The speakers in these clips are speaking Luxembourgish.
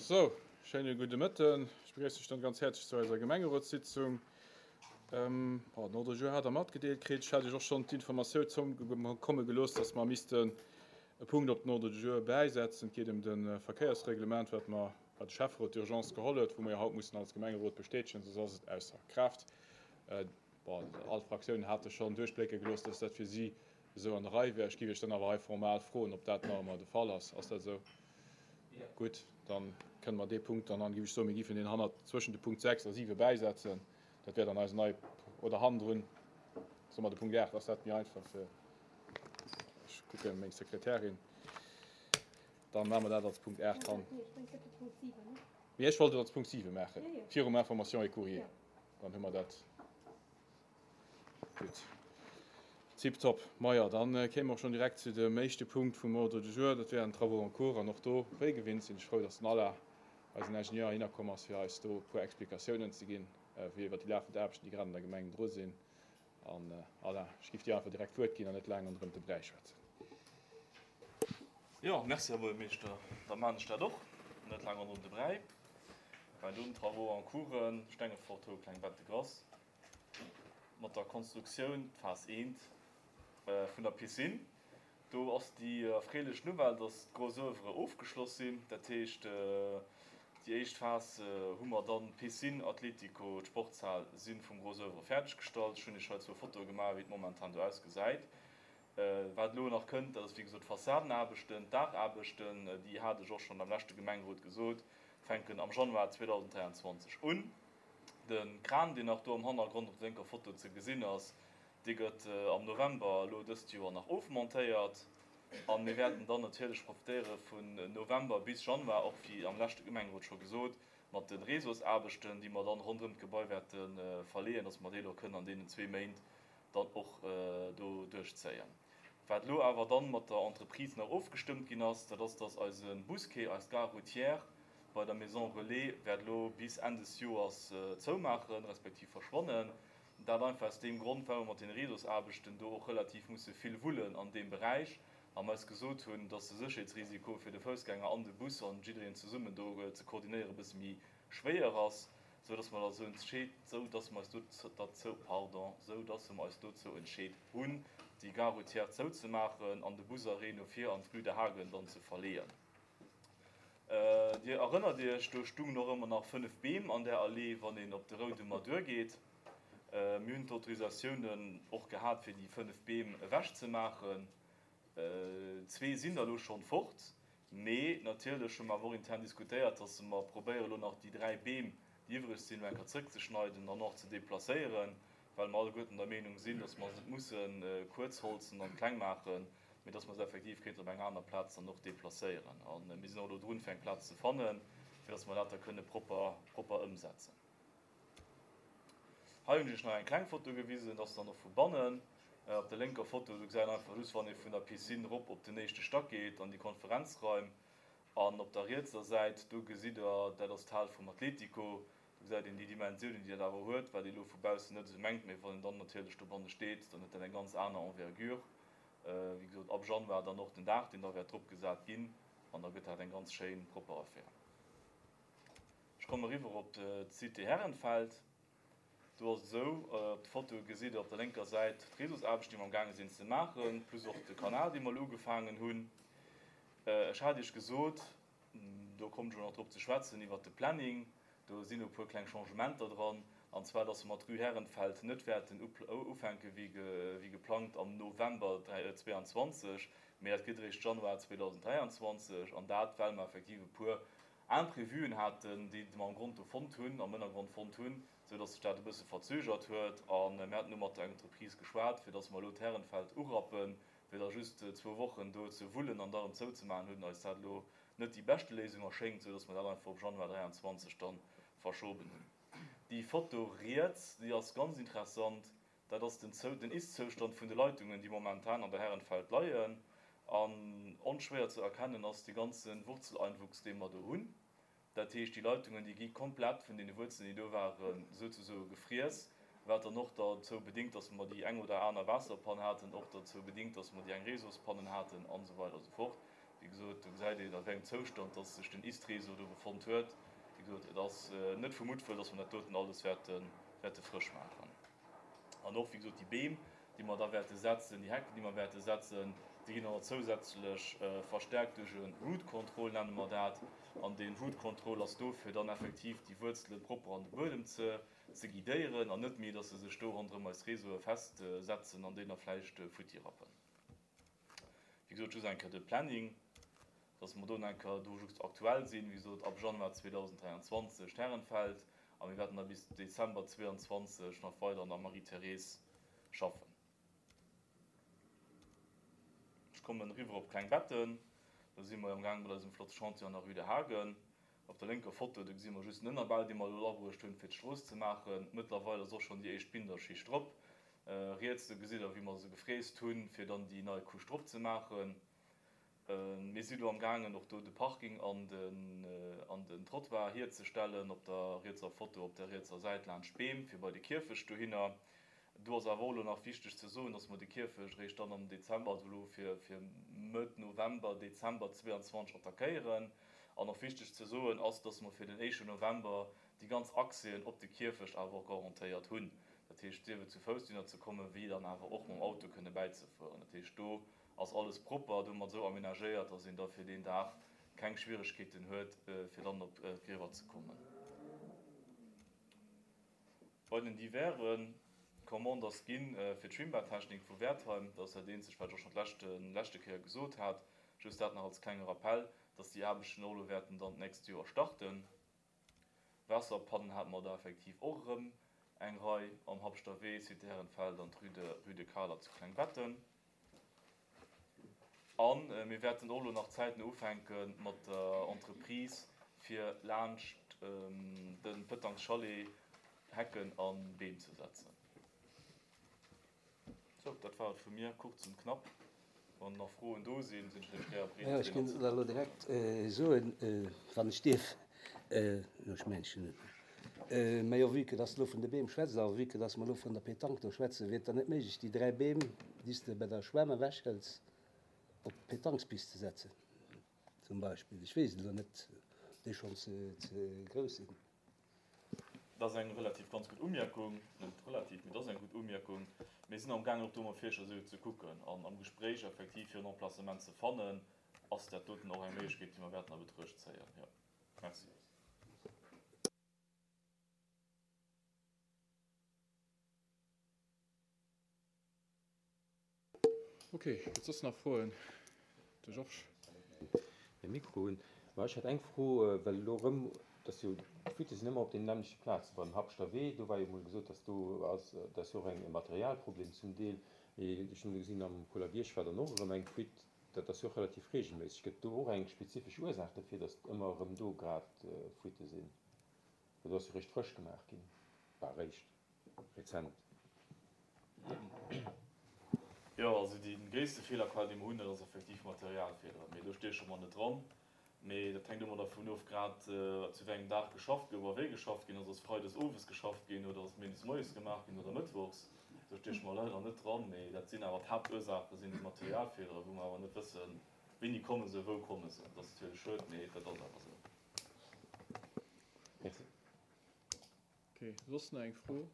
Sou, schéine gudde Mëtten. Ech begréissen Iech dann ganz häerzlech zu eiser Gemengerotssitzung. Den Ordre du jour hat Der matgedeelt kritt. Ech hat Iech och schonn d'Informatioun zoukomme gelooss, dass mer missten e Punkt op den Ordre du jour bäisetzen. Et geet ëm de Verkéiersreglement, wat mer, wat de Schäfferot d'urgence geholl huet, wou mer jo haut mussen als Gemengerot bestätegen, soss ass et ausser Kraaft. Bon, all d'Fraktiounen hate schonn duerchblécke gelooss, dass dat fir si esou an der Rei wär. Ech géif Iech dann awer hei formal froen, ob dat nach ëmmer de Fall ass. Ass dat esou? Gutt, da kënne mer dee Punkt dann an, géif ech soen, mir géifen deen hannert zwëschen de Punkt 6 a 7 bäisetzen. Dat wär dann eisen neie, oder hannendrun, soe mer de Punkt 8, ass dat méi einfach fir, ech kucke meng Sekretärin, da maache mer dat als Punkt 8 han. Mee ech wollt et als Punkt 7 maachen, virum Information et courrier. Dann hu mer dat. Gutt. Tiptop. Maja, dann kéime mer och schonn direkt zu dem éischte Punkt vum Ordre du jour. Dat wären d'Travaux en cours. An och do, wéi gewinnt, sinn ech frou, dass den Alain, eisen Ingenieur, heihinner komm ass, fir eis do e puer Explikatiounen ze ginn, wéi iwwert déi lafend Aarbechten, déi grad an der Gemeng dru sinn. An Alain, ech géif dir einfach direkt d'Wuert ginn an net laang ronderëm de Bräi schwätzen. Jo, merci, Här Buergermeeschter. Da maachen ech dat och, net laang ronderëm de Bräi. Bei den Travaux en cours, Stengefort, Hohe Klengbetten-Grass. Mat der Konstruktioun, d'Phas I vun der Piscine. Do ass déi erfreelech Nouvelle, dass d'Gros oeuvres ofgeschloss sinn. Dat heescht, déi éischt Phas hu mer dann, d'Piscine, Atletico, d'Sportshal si vum Gros oeuvre fäerdeggestallt. Ech hunn Iech hei zwou Fotoe gemaach, wéi et momentan do ausgesäit. Wat elo nach kënnt, dat ass wéi gesot d'Fassadenaarbechten, d'Daachaarbechten, déi hat ech och schonn am leschte Gemengerot gesot, fänken am Januar 2023 un. De Kran, deen nach do am Hannergrond op der lénker Foto ze gesinn ass, dee gëtt am November elo dëst Joer nach ofmontéiert. A mir wäerten dann natierlech profitéiere vun November bis Januar, och wéi am leschte Gemengerot scho gesot, mat de Réseausaarbechten, déi mer dann ronderëm d'Gebai wäerte verleeën, dass mer déi elo kënnen an deenen zwee Méint dann och do duerchzéien. Wat elo awer dann mat der Entreprise nach ofgestëmmt ginn ass, dat ass, dass eise Busquai, eis Gare routière, bei der Maison Relais wäert elo bis Enn des Joers zoumaachen, respektiv verschwannen. Dat einfach aus deem Grond, well mer mat den Réseausaarbechten do och relativ musse vill wullen an deem Beräich a mer eis gesot hunn, dass de Sécherheetsrisiko fir de Foussgänger an de Bus an jiddereen zesummen do ze koordinéieren e bësse méi schwéier ass, sou dass mer eis sou dass mer eis dozou, pardon, sou dass mer eis dozou entscheet hunn, déi Gare routière zouzemaachen an de Busarrêt no vir an d'Rue de Hagen dann ze verleeën. Dir erënnert Iech, do stungen och ëmmer nach 5 Beem an där Allee, wann een op de Roudemer duergeet. Mir hunn d'Autorisatiounen och gehat, fir déi 5 Beem ewechzemaachen. Zwee sinn der elo schonn fort. Mee natierlech hu mer awer och intern diskutéiert, dass mer probéieren, elo nach déi 3 Beem, déi iwwreg sinn, elo eng Kéier zrëckzeschneiden an och ze deplacéieren, well mer alleguerten der Meenung sinn, dass mer se net musse kuerzholzen an kleng maachen, mee dass mer se effektiv kéinten op eng aner Plaz dann och deplacéieren. A mir sinn och elo drun, fir eng Plaz ze fannen, fir dass mer dat da kënne propper, propper ëmsetzen. Hei hunn ech Iech nach eng kleng Foto gewisen, dat ass dann och vu bannen. Op der lénker Foto, do gesäit een einfach just, wann ee vun der Piscine erop op den éischte Stack geet, an déi Konferenzraim. An op der rietser Säit, do gesitt Der, dat ass d'Hal vum Atletico. Do gesäit een déi Dimensiounen, déi dat awer huet, wat ee elo vu baussen net esou mengt, mee wann een dann natierlech dobanne steet, dann huet dat eng ganz aner Envergure. Wéi gesot, ab Januar dann och den Daach, deen da wäert drop gesat ginn, an da gëtt dat eng ganz schéin, propper Affär. Ech kommen eriwwer op d'Cité Herrenfeld. Do ass et esou, op de Fotoe gesitt Der op der lénker Säit d'Réseausaarbechten, déi mer amgaange sinn ze maachen, plus och de Kanal, dee mer elo ugefaangen hunn. Ech hat Iech gesot, Do kommen ech elo nach drop ze schwätzen, iwwert de Planning. Do sinn e puer kleng Changementer dran, an zwar, dass mer mat Rue Herrenfeld net wäerten ufänke wéi geplangt am November 2022, mee dat gëtt eréischt Januar 2023. An dat, well mer effektiv e puer Imprévuen haten, déi mer am Grond do fonnt hunn, am Ënnergrond fonnt hunn, esou dass sech dat e bësse verzögert huet. A mir haten elo mat der Entreprise geschwat, fir dass mer elo d'Herrenfeld urappen, Fir da just zwou Wochen do ze wullen an da erëm zouzemaachen, huet eis dat elo net déi beschte Léisung erschéngt, sou dass mer dat einfach op Januar 23 dann verschoben hunn. Déi Foto riets, déi ass ganz interessant, dat ass den den Ist-Zoustand vun de Leitungen, déi momentan an der Herrenfeld leien. An onschwéier ze erkennen ass de ganze Wurzeleinwuchs, dee mer do hunn. Dat heescht, déi Leitungen, déi gi komplett vun deene Wuerzelen, déi do waren, souzesoe gefriess, wat dann och derzou bedingt, dass mer déi eng oder aner Waasserpann haten, och derzou bedingt, dass mer déi eng Réseauspannen haten an esou weider a sou fort. Wéi gesot, do gesäit een, a wéi engem Zoustand dass sech den Ist-Réseau do befonnt huet. Wéi gesot, et ass net vu Muttwëll, dass mer dat doten alles wäerte, wäerte frësch maachen. An och, wéi gesot, déi Beem, déi mer da wäerte setzen, déi Hecken, déi mer wäerte setzen, déi ginn dann och zousätzlech verstärkt duerch e Root Control, nenne mer dat. An dee Root Control ass do, fir dann effektiv déi Wuerzele propper an de Buedem ze, ze guidéieren an net méi, dass se sech do ronderëm eis Réseaue festsetzen an déi da vläicht futti rappen. Wéi gesot, just eng Kéier de Planning, dass mer do eng Kéier do just aktuell sinn. Wéi gesot, ab Januar 2023 d'Herrenfeld a mir wäerten da bis Dezember 2022 nach weider an der Marie-Thérèse schaffen. Ech kommen eriwwer op Klengbetten. Do si mer jo amgaang mat eisem flotte Chantier an der Rue de Hagen. Op der lénker Foto, do gesi mer just den Ënnerbau, dee mer elo abruecht hunn, fir d'Strooss ze maachen. Mëttlerweil ass och schonn déi éischt Binderschicht drop. Riets, do gesitt Der, wéi mer se gefräst hunn, fir dann déi nei Couche drop ze maachen. Mir si lo amgaangen, och do de Parking an den Trottoir hierzestellen, op der rietser Foto, op der rietser Säit laanscht d'Beem, fir bei de Kierfecht dohinner. Do ass awer och elo nach wichteg ze soen, dass mer de Kierfecht eréischt dann am Dezember, also elo fir Mëtt November, Dezember 22 attackéieren. An och wichteg ze soen ass, dass mer fir den éischten November déi ganz Accèsen op de Kierfecht awer och garantéiert hunn. Dat heescht, sief et zu Fouss dohinner ze kommen, wéi dann awer och mam Auto kënne bäizefueren. Dat heescht, do ass alles propper domat esou amenagéiert, dass een da fir deen Dag keng Schwieregkeeten huet, fir dann op d'Griewer ze kommen. Bei den diverse Commande ass ginn fir d'Schwimmbadtechnik vu Wertheim. Dat ass dat eenzegt, wat ech och schonn d'leschte leschte Kéier gesot hat. Just dat nach als klenge Rappell, dass déi Aarbechten och elo wäerten dann d'nächst Joer starten. Waasserpannen hate mer der effektiv och erëm eng Rei am Habschter Wee, Cité Herrenfeld an d'Rue de Rue de Kahler zu Klengbetten. A mir wäerten och elo nach zäitno ufänke mat der Entreprise, fir laanscht de Pëtangschalet Hecken a Beem ze setzen. Sou, dat war et vu mir, kurz und knapp. Wann nach Froen do sinn, sinn ech natierlech gär bereet, Jo, ech deenen géing elo direkt soen, wann ech dierf, jo, ech mengen, ech hunn et nach, mä jo, vue que dass de elo vun de Beem schwätzt a vue que dass mer elo vun der Pétanque do schwätzen, wier et dann net méiglech, déi 3 Beem, déi s de bei der Schwämm ewechhëls, op d'Pétanquespist ze setzen, zum Beispill? Ech weess et elo net, ob déi schonn ze grouss sinn. Dat ass eng relativ ganz gutt Umierkung, net relativ, mee dat ass eng gutt Umierkung. Mir sinn amgaangen och do mam Fierscher esou ze kucken an am Gespréich effektiv fir en Emplacement ze fannen, ass dat doten och eng Méiglechkeet, déi mer wäerten a Betruecht zéien. Jo, merci. Ok, gëtt soss nach Froen? De Georges. Mäi Mikro un. Ma ech hätt eng Fro, well elo erëm, dass jo d'Fuitte sinn ëmmer op deenen nämmlechte Plazen, beim Habschter Wee, do war jo emol gesot, dass do ass, dat ass jo och eng e Materialproblem zum Deel, mee ech hunn elo gesinn, am Kolerbierg war dann och erëm eng Fuite, dat ass jo och relativ reegelméisseg. Gëtt do och eng spezifesch Ursaach dofir, dass ëmmer erëm do grad Fuitte sinn? Well do ass jo réischt frësch gemaach ginn, bah réischt. Rezent. Jo, also dee gréisste Feelerquell, dee mer hunn, dat ass effektiv Materialfeeleren. Mee do stieche mer net dran. Mee dat hänkt ëmmer dervun of, grad zu wéi engem Dag geschafft gouf a wéi geschafft ginn ass. Ass freides owes geschafft ginn oder ass méindes moies gemaach ginn oder mëttwochs? Do stieche mer leider net dran. Mee dat sinn awer d'Haaptursaache sinn déi Materialfeeleren, wou mer awer net wëssen, wéini komme se, wou komme se. Dat ass natierlech schued, mee dat ass awer esou. Merci. Ok, soss nach eng Fro?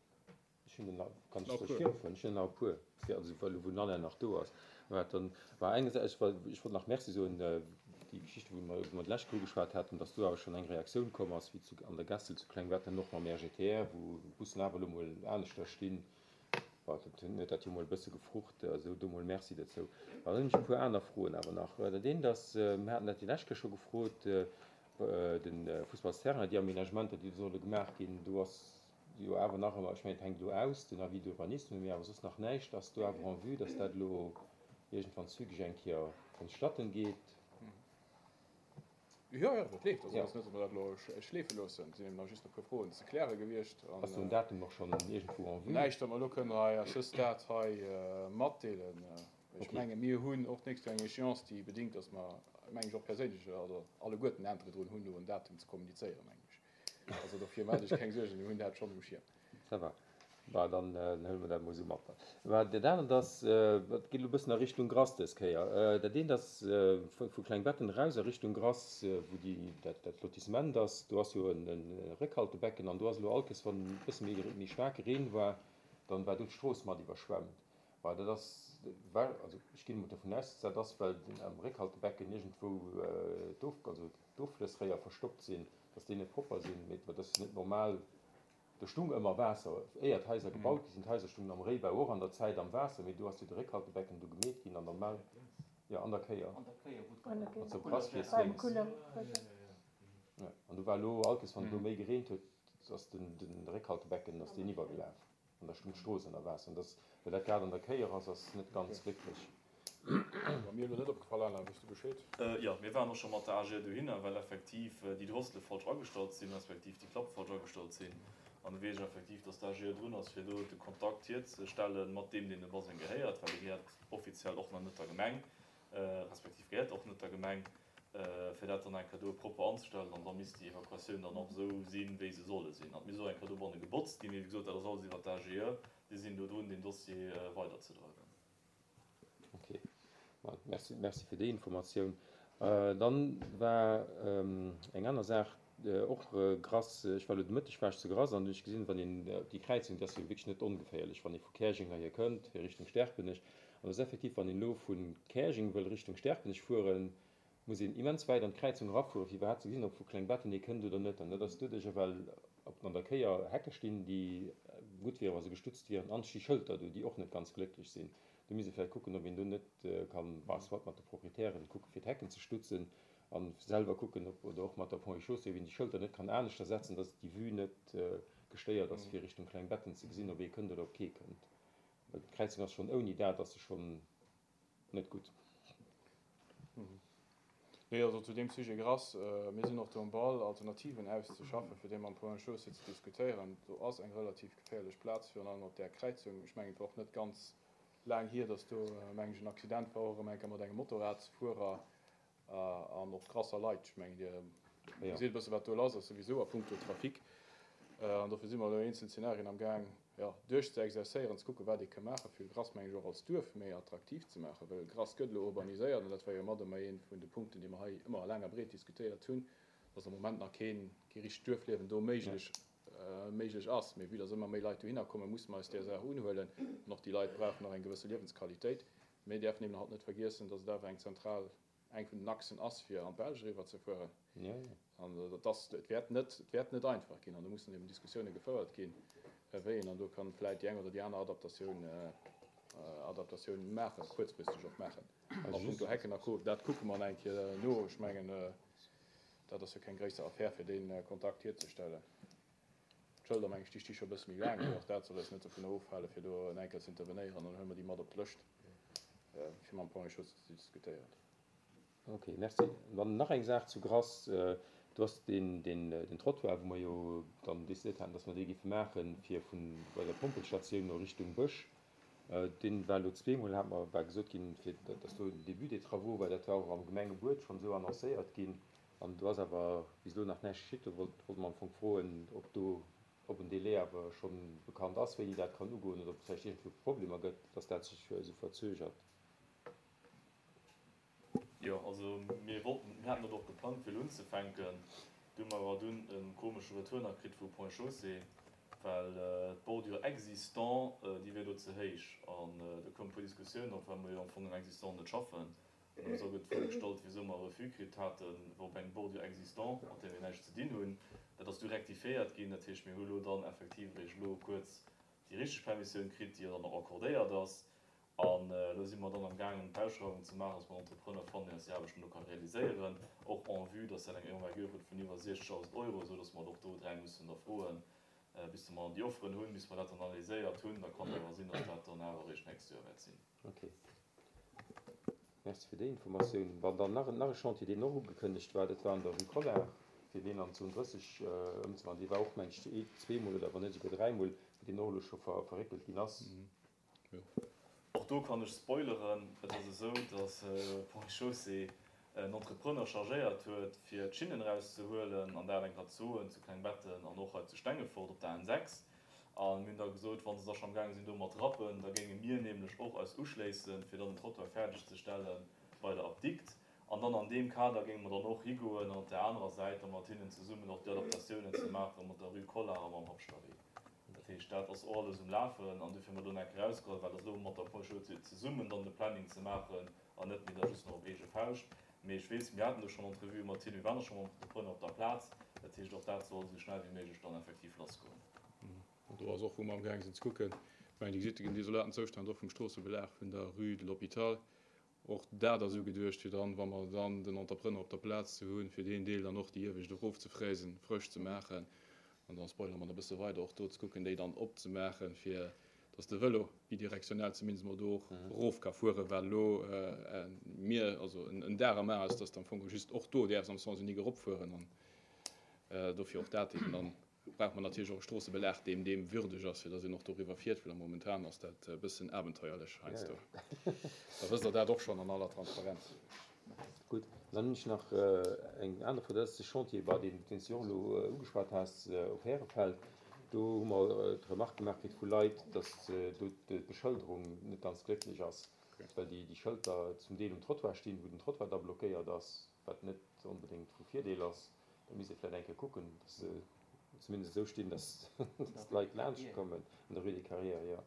Ech hunn der nach, kann ech soll ech virfueren? Ech hunn der nach e puer, fir also well elo wou den Alain nach do ass. Mä dann war engersäits, ech wollt, ech wollt nach Merci soen, déi Geschichte wou mer, wou mer d'lescht Kéier ugeschwat haten, datt do awer schonn eng Reaktioun komm ass, wéi zu an der Gessel zu Klengbetten an och mam RGTR, wou d'Bussen awer elo mol aneschter stinn. Bon, dat huet dat jo mol e bësse gefrucht, also do mol Merci dozou. Dann hunn ech e puer aner Froen awer nach. Dat eent ass, mir haten dat déi lescht Kéier scho gefrot, De Fussballsterrain, déi Aménagementer, déi do solle gemaach ginn, do ass jo awer nach ëmmer, ech mengen, et hänkt elo aus, den Avis d'urbanisme, mee awer soss nach näischt. Ass do awer en vue, dass dat elo iergendwann zügeg eng Kéier vonstatten geet? Jo, jo, dat leeft. Also et ass net, datt mer dat elo schleefe loossen. Et sinn eben nach just e puer Froen ze kläre gewiescht. Ass do en Datum och schonn iergendwou en vue? Näischt, wat mer elo kënnen hei à ce stade hei matdeelen. Ech menge mir hunn och d'nächst Joer eng Échéance, déi bedingt, datt mer, meng ech och perséinlech, also alleguerten Intérêt drun hunn, do en Datum ze kommunizéieren, mengen ech. Also dofir maacht Iech keng Suergen, mir hunn dat schonn um Schierm. Ça va. Bah, dann huele mer dat emol esou mat. Bah, dat anert ass, dat geet elo e bëssen a Richtung Grass dës Kéier. Dat eent ass vu Klengbetten eraus a Richtung Grass, wou déi, dat, dat Lotissement ass. Do ass jo e Réckhaltebecken an do ass elo all Kéiers, wann e bësse méi, méi staarke Reen war, dann war do d'Strooss mat iwwerschwemmt. Bah, dat ass well, also ech ginn emol dovun aus, dass dat ass, well am Réckhaltebecken iergendwou d'Of, also d'Offlëssréier verstoppt sinn, dass déi net propper sinn. Mee dat ass net normal. Do stung ëmmer Waasser, éier d'Haiser gebaut gi sinn. D'Haiser stungen am Réibau och an der Zäit am Waasser, mee do ass jo de Réckhaltebecken do gemeet ginn an normal, jo, an der Kéier, mat sou Brassfiess lénks. Jo, an do war elo all Kéiers, wann et do méi gereent huet, ass den Réckhaltebecken, ass deen iwwergelaf an da stung d'Strooss ënner Waasser. An dass, well dat grad an der Kéier ass, ass net ganz glécklech. War mir elo net opgefall, Alain, weess du Bescheed? Jo, mir waren och scho mat der AG dohinner, well effektiv déi Drossele falsch agestallt sinn, respektiv déi Klapp falsch agestallt sinn. An do weess ech effektiv, dass d'AG drun ass, fir do de Kontakt hierzestellen mat deem, deen de Baseng gehéiert, well dee gehéiert offiziell och nach net der Gemeng, respektiv gehéiert och net der Gemeng, fir dat dann eng Kéier do propper anzestellen. An da misst déi Evakuatioun dann och esou sinn, wéi se solle sinn. An et misst och eng Kéier dobanne gebotzt ginn. Mee wéi gesot, dat ass alles iwwert d'AGE. Déi sinn do drun, deen Dossier weiderzedreiwen. Ok, merci, merci fir déi Informatioun. Dann war eng aner Saach och Grass. Ech war elo de Mëtteg war ech zu Grass an hunn ech gesinn, wann een op déi Kräizung, déi ass jo wierklech net ongeféierlech, wann ee vu Käerjeng heihier kënnt, fir Richtung Sterpenech. An et ass effektiv, wann een elo vu Käerjeng wëll Richtung Sterpenech fueren, muss een immens wäit an d'Kräizung erafueren, fir iwwerhaapt ze gesinn, ob vu Klengbetten ee kënnt oder net. An dat ass doduercher, well op an der Kéier Hecke stinn, déi gutt wieren, wa se gestutzt wieren, an et sti Schëlter do, déi och net ganz glécklech sinn. Do misst ee vläicht kucken, ob een do net kann, bah, soit mat de Proprietären kucken, fir d'Hecken ze stutzen, a selwer kucken, ob, oder och mat der Ponts et Chaussées, ob een déi Schëlter net kann aneschter setzen, dass déi Vue net gestéiert ass, fir Richtung Klengbetten ze gesinn, ob ee kënnt oder ob kee kënnt. Well d'Kräizung ass schonn ouni dat ass se schonn net gutt. Nee, also zu deem Sujet Grass, mir sinn och do am Ball, Alternativen auszeschaffen, fir dee mam Point Chaussée ze diskutéieren. Do ass eng relativ geféierlech Plaz, virun allem op där Kräizung. Ech mengen, et war och net ganz laang hier, datt do, meng ech, en Accident war, och erëm eng Kéier mat engem Motorradsfuerer an och Grasser Leit. Ech mengen, Dir gesitt e bësse wat do lass ass souwisou a puncto Trafic. An dofir si mer elo eenzel Zenarien amgaang, jo, duerchzeexerzéieren, ze kucken, wat ee ka maachen, fir Grass, meng ech, och als Duerf méi attraktiv ze maachen, well Grass gëtt elo urbaniséiert an dat war jo mat ëmmer ee vun de Punkten, déi mer hei ëmmer laang a breet diskutéiert hunn, dass am Moment nach keen, kee richtegt Duerfliewen do méiglech, méiglech ass. Mee vue dass ëmmer méi Leit dohinner kommen, musse mer eis där Saach unhuelen an och déi Leit brauchen och eng gewësse Liewensqualitéit. Mir däerfen eben halt net vergiessen, dass et awer eng zentral eng vun den Achsen ass, fir an d'Belsch eriwwer ze fueren. An dat ass, et wäert net, et wäert net einfach ginn. An do mussen eben Diskussioune gefouert ginn, wéi een dann do kann vläit déi eng oder déi aner Adaptatioun, Adaptatioun maachen, kuerzfristeg och maachen. A punkto Hecken a Co, dat kucke mer nach eng Kéier no. Ech mengen, dat ass jo keng gréisser Affär, fir dee Kontakt hierzestellen. D'Schëlder, meng ech, déi sti scho e bësse méi laang, mee och dat soll eis net dovunner ofhalen, fir do en Enkel ze intervenéieren. Dann huele mer déi mat op d'Lëscht, fir mam Point et Chaussée ze diskutéieren. Ok, merci. Dann nach eng Saach zu Grass. Do ass deen, den Trottoir, wou mer jo dann decidéiert haten, dass mer dee géife maachen, fir vun bei der Pompelstatioun no Richtung Bësch. Dee war elo zweemol, hat mer, war gesot ginn, fir dass do den Début des travaux war. Dat war och am Gemengebuet schonn esou annoncéiert ginn. An do ass awer bis elo nach näischt geschitt. Do wollt mer am Fong froen, ob do, ob en Délai awer scho bekannt ass, wéini dat kann ugoen oder ob et vläicht iergendwou Problemer gëtt, dass dat sech esou verzögert. Jo, also mir wollten, mir haten dat och geplangt fir elo unzefänken. Du hu mer awer dunn e komesche Retour nach kritt vu Ponts et Chaussées, well d'Bordure existant, déi wier do ze héich. An do koumen e puer Diskussiounen op, well mer jo am Fong am Existant net schaffen. An da gëtt d'Fro gestallt, wisou mer e Refus kritt haten op eng Bordure existante, mat där mir näischt ze dinn hunn. Dat ass du rectifiéiert ginn. Dat heescht, mir hu lo dann effektiv eréischt elo kuerz déi richteg Permissioun kritt, déi jo dann och accordéiert ass. An elo si mer dann am gaangen, d'Ausschreiwung ze maachen, dass mer en Entrepreneur fannen, deen eis déi Aarbechten do ka realiséieren, och en vue, dass dat eng Envergure huet vun iwwer 60.000 Euro, esou dass mer et och do dräi mussen da froen, bis mer déi Offeren hunn, bis mer dat dann analyséiert hunn. Da kann et awer sinn, dass dat dann awer eréischt d'nächst Joer wäert sinn. Ok. Merci fir déi Informatioun. Wann dann nach nach e Chantier, deen och ugekënnegt war, dat war an der Rue Collart, fir deen an d'Zon 30 ëmzewandeln. Dee war och, meng ech, ee, zweemol oder wann net esouguer dräimol, wou deen och elo scho ver verréckelt ginn ass. Och do kann ech spoileren, Et ass esou, datt Ponts et Chaussées en Entrepreneur chargéiert huet, fir d'Schinnen erauszehuelen, an dat eng Kéier ze soen, zu Klengbetten an och hei zu Stengefort op der N 6. A mir hunn da gesot, wa se da scho amgaange sinn do mat rappen, da géinge mir nämlech och eis uschléissen, fir dann den Trottoir fäerdeg ze stelle bei der Apdikt. An dann an deem Kader géinge mer dann och higoen an op där anerer Säit da mat hinnen zesummen och déi Adaptatiounen ze maache mat der Rue Collart a mam Habschtawee. Dat heescht, dat ass och alles um Lafen an dofir hu mer do nach erausgeholl, well dat elo mat der Post zesummen dann de Planning ze maachen an net méi da just nach op eege Fauscht. Mee ech weess, mir haten do schonn Entrevuë mat hinnen, mir waren och scho mam Entrepreneur op der Plaz. Dat heescht, och dat soll esou schnell wéi méiglech dann effektiv lassgoen. An do ass och, wou mer amgaang sinn ze kucken, ech mengen, Dir gesitt den desolaten Zoustand och vum Stroossebelag vun der Rue de l'Hôpital, Och dat ass ugeduecht, fir dann, wa mer dann den Entrepreneur op der Plaz ze hunn, fir deen Deel dann och déi iewescht erofzefräsen, frësch ze maachen. An dann spoilere mer nach e bësse weider, och do ze kucken, déi dann opzemaachen, fir dass de Vëlo bidirektionell zumindest mol do och erof ka fueren, well elo mir, also en Dag am A ass, dass de am Fong just och do däerfs am Sens unique eropfueren. An dofir och dat eben dann brauche mer natierlech och e Stroossebelag, deem deem würdeg ass, fir datt een och doriwwer fiert, well momentan ass dat e bëssen abenteuerlech heiansdo. Da wësst Der dat och schonn an aller Transparenz. Gutt, dann hunn ech nach eng aner Fro, dat ass de Chantier, bei deem, deen s du och elo ugeschwat has, op Härefeld. Do hu mer d'Remarque gemaach kritt vu Leit, datt do d'Beschëlderung net ganz glécklech ass, well déi Schëlter zum Deel um Trottoir stinn, wou den Trottoir da blockéiert ass, wat net onbedéngt vu Virdeel ass. Da misst ee vläicht eng Kéier kucken, dass se zumindest esou stinn, dass d'Leit laanscht kommen an der Rue des Carrières, jo.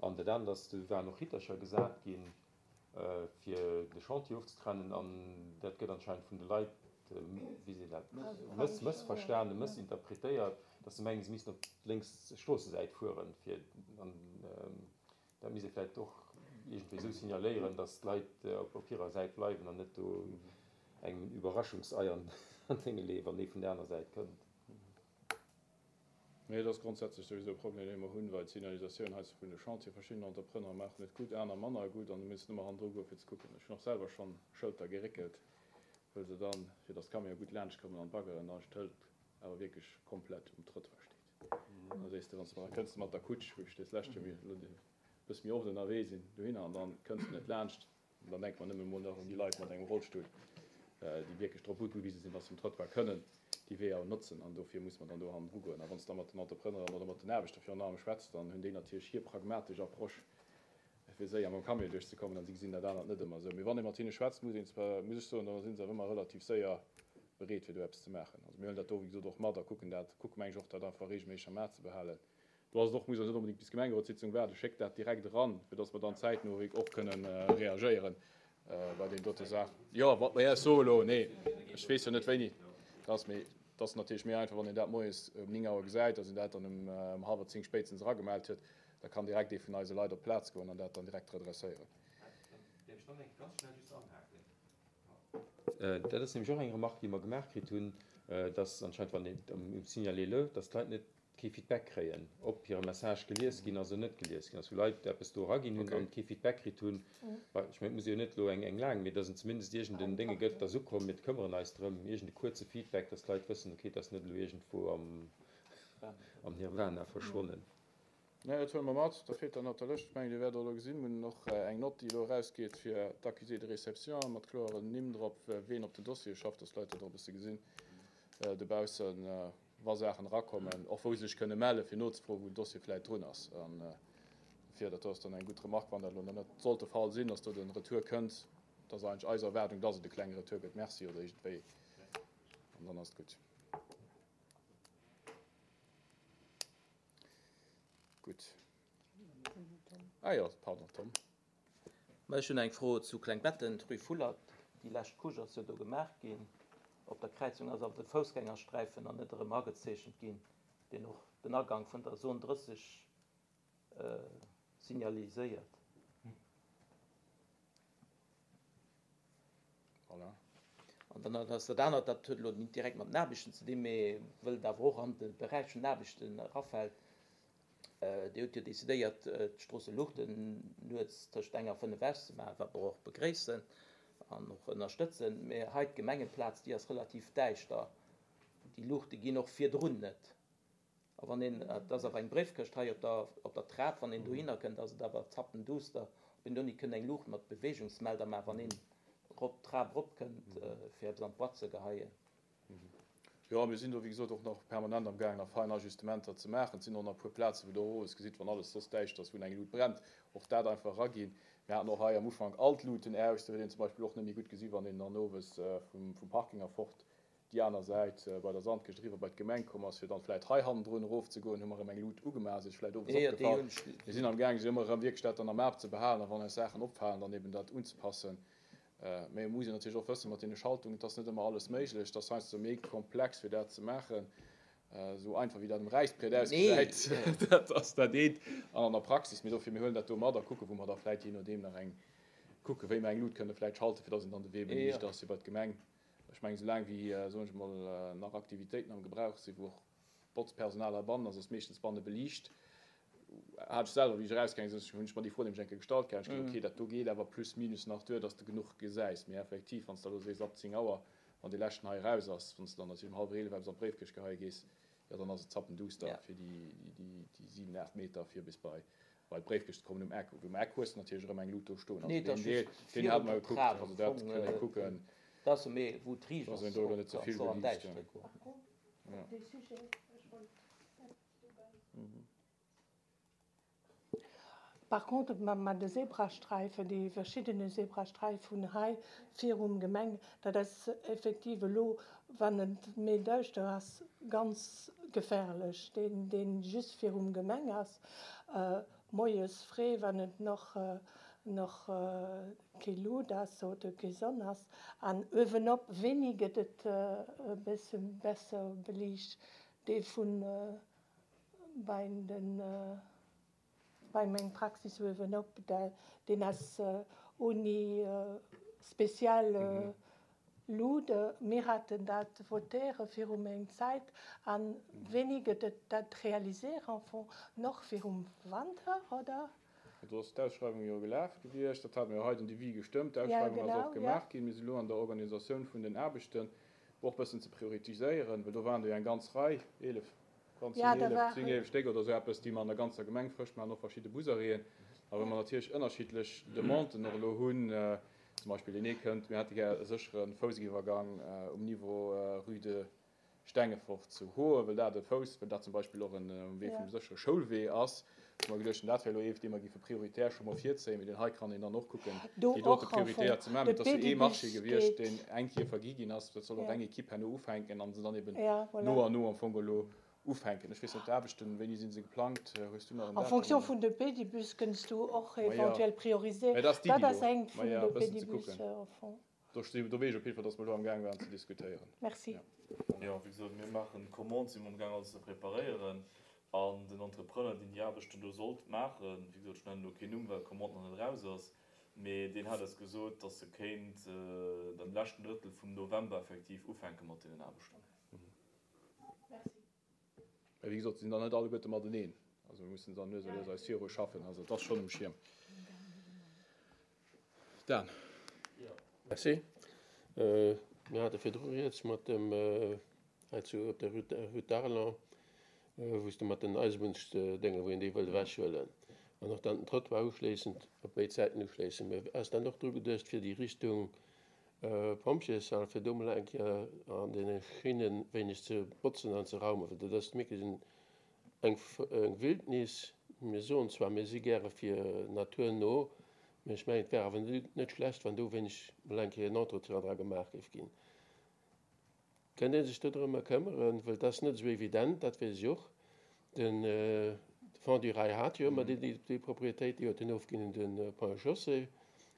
An dat anert ass, do waren och Rittercher gesat ginn, fir de Chantier ofzetrennen, an dat gëtt anscheinend vun de Leit, wéi seet een dat, mëssverstanen, mëssinterpretéiert, dass se mengen, se missten op d'lénks Stroossesäit fueren, fir an. Dat misst ee vläicht och iergendwéi esou signaléieren, datt d'Leit op hirer Säit bleiwen an net do engem en Überraschungsei an d'Dénge leeë, wann ee vun der aner Säit kënnt. Mee et ass grondsätzlech souwisou e Problem, dee mer hunn, well d'Signalisatioun heiansdo vun de Chantier, verschidden Entrepreneure maachen et gutt, aner manner gutt, an du misst ëmmer hannendru goen, fir ze kucken. Ech hunn och selwer schonn Schëlter geréckelt, wëll se dann, fir datt d'Camionë gutt laanschtkommen an d'Baggeren, dann d'Schëld awer wierklech komplett um Trëttoir steet. Da sees de, wann s de, da kënns de mat der Kutsch, wou ech des lescht Joer elo e bësse méi oft ënnerwee sinn, dohinner an dann kënns de net laanscht. An dann denke mer nëmme mol nach un déi Leit mat engem Rollstull, déi wierklech drop ugewise sinn, dass se um Trottoir kënnen déi Weeër notzen. An dofir muss mer dann do hannendru goen. A wann s de da mat den Entrepreneuren oder mat den Aarbechter virun allem schwätz, dann hunn déi natierlech hir pragmatesch Approche, fir séier mam Camion duerchzekommen, an si gesinn dat anert net ëmmer esou. Mee wann ee mat hinne schwätzt, muss een zwar, muss ech soen, da si se awer ëmmer relativ séier bereet, fir do eppes ze maachen. Also mir huelen dat do, wéi gesot, och mat a kucken dat, kucke meng ech och, dat einfach reegelméisseg am A ze behalen. Do ass et och, muss een net onbedéngt bis d'Gemengerotssitzung waarden, schéckt dat direkt eran, fir dass mer dann zäitno och kënnen reagéieren bei deenen dote Saachen. Jo, wat mer Iech soe elo, nee, ech weess jo net wéini dat ass, mee et ass natierlech méi einfach, wann een dat moies um 9 Auer gesäit, dass een dat dann um hallwer 10 spéitstens eragemellt huet. Da kann direkt ee vun eise Leit op d'Plaz goen an dat dann direkt redresséieren. Däerf ech dann eng ganz schnell just anhaken? Dat ass nämlech och eng Remarque, déi mer gemaach kritt hunn, dass anscheinend, wann een um Signalez-le, dass d'Leit net kee Feedback kréien, ob hire Message gelies ginn ass oder net gelies ginn ass, wou Leit eppes do eraginn hunn an kee Feedback kritt hunn. Ech mengen, et muss jo net elo eng eng laang, mee dass en zumindest iergend en Dénge gëtt, dass ukomm, mir këmmeren eis drëm, iergend e kuerze Feedback, dass d'Leit wëssen, okay, et ass net elo iergendwou am am Nirvana verschwonnen. Nee, dat huele mer mat. Da feelt dann op der Lëscht, ech mengen, Dir wäert och elo gesinn, mir hunn och eng Nott, déi elo erausgeet fir d'Accusé de réception mat kloeren Nimm drop, ween op den Dossiere schafft, dass d'Leit dat och e bësse gesinn dobaussen, wa Saachen erakommen, och wou se sech kënne mellen, fir nozefroen, wou den Dossier vläicht drun ass. An dofir, dat do ass dann eng gutt Remarque, wann dat elo nach net sollt de Fall sinn, dass do de Retour kënnt, dat ass eigentlech eis Erwaardung, dass et e klenge Retour gëtt, Merci oder iergendwéi, an dann ass et gutt. Gutt. Ah jo, pardon, Tom. Ma ech hunn eng Fro zu Klengbetten, d'Rue Fullert. Déi lescht Couche ass jo do gemaach ginn. Op der Kräizung ass awer de Foussgängersträifen nach net erëm agezeechent ginn, deen och den Agank vun der Zone 30 signaliséiert. Voilà. An dann ass dat anert, dat huet elo net direkt mat den Aarbechten ze dinn, mee wëll et awer och an de Beräich vun den Aarbechten erafält, Dir hutt jo decidéiert, d'Stroosseluuchten nuets tëscht eng a fënnef auszemaachen, wat mer och begréissen an och ënnerstëtzen. Mee hei d'Gemengeplaz, déi ass relativ däischter. Déi Luuchte ginn och virdrun net. A wann een, et ass awer eng Bréifkëscht hei op der, op der Trap, wann een dohinner kënnt, ass et awer zappenduster, ob een do nit kënnt eng Luucht mat Beweegungsmelder maachen, wann een rop d'Trap eropkënnt, fir eppes an d'Boîte ze geheien. Jo, mir sinn do wéi gesot och nach permanent am gaangen nach fein Ajustementer ze maachen. Et sinn och nach e puer Plazen, wou Der och owes gesitt, wann alles soss däischter ass, wou eng Lut brennt. Och dat einfach eraginn. Mir haten och hei am Ufank all d'Luten aus. Do huet een zum Beispill och net méi gutt gesi wann een dann owes vum Parking erfort déi aner Säit bei der Sandkëscht eriwwer bei d'Gemeng komm ass, fir dann vläit hei hannendrun erofzegoen, hu mer erëm eng Lut ugemaach. Ass Iech vläit owes opgefall. Mir sinn am gaangen, se ëmmer erëm wierklech dat dann am A ze behalen a wann eis Saachen opfalen, dann eben dat unzepassen. Mä et muss een natierlech och wëssen, mat deene Schaltungen, et ass net ëmmer alles méiglech, et ass heiansdo méi komplex fir dat ze maachen, esou einfach wéi dat um Räissbriet ausgesäit, dat ass dat eent, an an der Praxis. Mee dofir, mir huelen dat do mat a kucken, wou mer da vläit jee nodeem nach eng kucken, wéi mer eng Lut kënne vläit schalten, fir dass een dann de Wee beliicht ass fir bei d'Gemeng. Ech mengen, soulaang wéi, soen ech emol, nach Aktivitéiten am Gebrauch sinn, wou och Botzpersonal heibannen ass, ass meeschtens banne beliicht. Hat ech selwer, wéi ech erausgaange sinn, hunn ech mer déi Fro nämlech eng Kéier gestallt gehat. Ech gesot, okay, dat do geet awer plus minus nach duer, dass de genuch gesäis. Mee effektiv, wann s de elo sees, ab 10 Auer, wann dee leschten hei eraus ass, wann s de dann natierlech um hallwer 11 eppes an d'Bréifkëscht geheie gees, jo, dann ass et zappenduster fir déi 7, 8 Meter fir bis bei d'Bréifkëscht ze kommen um Eck. Um Eck hues de natierlech erëm eng Lut do stoen. Also deen Deel, deen hate mer gekuckt. Also dat kënnt ee kucken, dass een do elo net ze vill beliicht. Par contre mat de Zebrasträifen, déi verschiddene Zebrasträif vun hei virum Gemeng, dat ass effektiv elo, wann et méi däischter ass, ganz gefährlech. Deen, deen just virum Gemeng ass, moies fréi, wann et nach nach kee Lut ass oder kee Sonn ass. An uewenop wéini gëtt et e bësse besser beliicht? Dee vun bei den, bei meng Praxis uewenop, deen ass ouni speziell Lut. Mir haten dat votéiere viru meng Zäit. An wéini gëtt et dat réaliséiert en fond? Noch virum Wanter, oder? Do ass d'Ausschreiwung jo gelaf gewiescht. Dat hate mir jo hei den Devis gestëmmt. D'Ausschreiwung ass och gemaach ginn. Mir sinn elo an der Organisatioun vun den Aarbechten, och e bëssen ze prioritiséieren, well do waren der jo eng ganz Rei, 11, ganz 10, 11, 10, 11 Stéck oder esou eppes, déi mer an der ganzer Gemeng frësch maachen, och verschidde Busarrêten. A well mer natierlech ënnerschiddlech Demanden och elo hunn, zum Beispill deen ee kënnt, mir hätte gär e séchere Foussiwwergang um Niveau Rue de Stengefort zu Hoen, well dat e Fouss, well dat zum Beispill och en um Wee vum séchere Schoulwee ass, hu mer geduecht, dat wär elo ee, dee mer géife prioritär scho mol virzéien, mee deen hei kann een dann och kucken, déi dote prioritär ze maachen. Mee et ass jo ee Marché gewiescht, deen eng Kéier vergi ginn ass. Dat soll och eng Equipe herno ufänken a se dann eben no an no am Fong elo ufänken. Ech weess net, d'Aarbechten, wéini si se geplangt? Hues du nach en En fonction Datum? vun de Pedibus kënns du och eventuell prioriséieren. Mä dat ass Dat d'Iddi ass do. eng vun Maja, de e bëssen ze Pedibus kucken. en fond. Do sti, do weess ech op jidde Fall, dass mer elo amgaang waren ze diskutéieren. Merci. Jo, wéi gesot, mir maachen d'Commande, si amgaang alles ze preparéieren an den Entrepreneur, deen déi Aarbechten do sollt maachen, wéi gesot, ech nennen elo keen Numm, well d'Commande nach net eraus ass, mee deen hat eis gesot, dass e kéint am leschten Drëttel vum November effektiv ufänke mat deenen Aarbechten. Merci. Mä wéi gesot, se sinn dann net alleguerte mateneen. Also mir mussen dann lues a lues eis viru schaffen. Also et ass schonn um Schierm. Dan. Merci. Mir hate virdru rieds mat dem hei zu op der Route d'Arlon, wou s de mat den Eisebunnsdénge, wou een déi wëllt ewechhuelen an och dann den Trottoir uschléissend op béid Säiten uschléissen. Mä ass dann och dru geduecht fir déi Richtung Pompjeeshal, fir do mol eng Kéier an deene Schinne wéineg ze botzen an ze raumen, well dat ass wierklech eng Wildnis. Mir soen zwar, mir si gäre fir naturno, mee ech mengen, et wär awer net schlecht, wann do wéineg mol eng Kéier en Entretien dra gemaach géif ginn. Kënnt ee sech do drëmmer këmmeren? Well et ass net esou evident, dat weess ech och. De Fonds du Rail hat jo ëmmer déi Propriétéit, déi huet en ofginn un de Ponts et Chaussées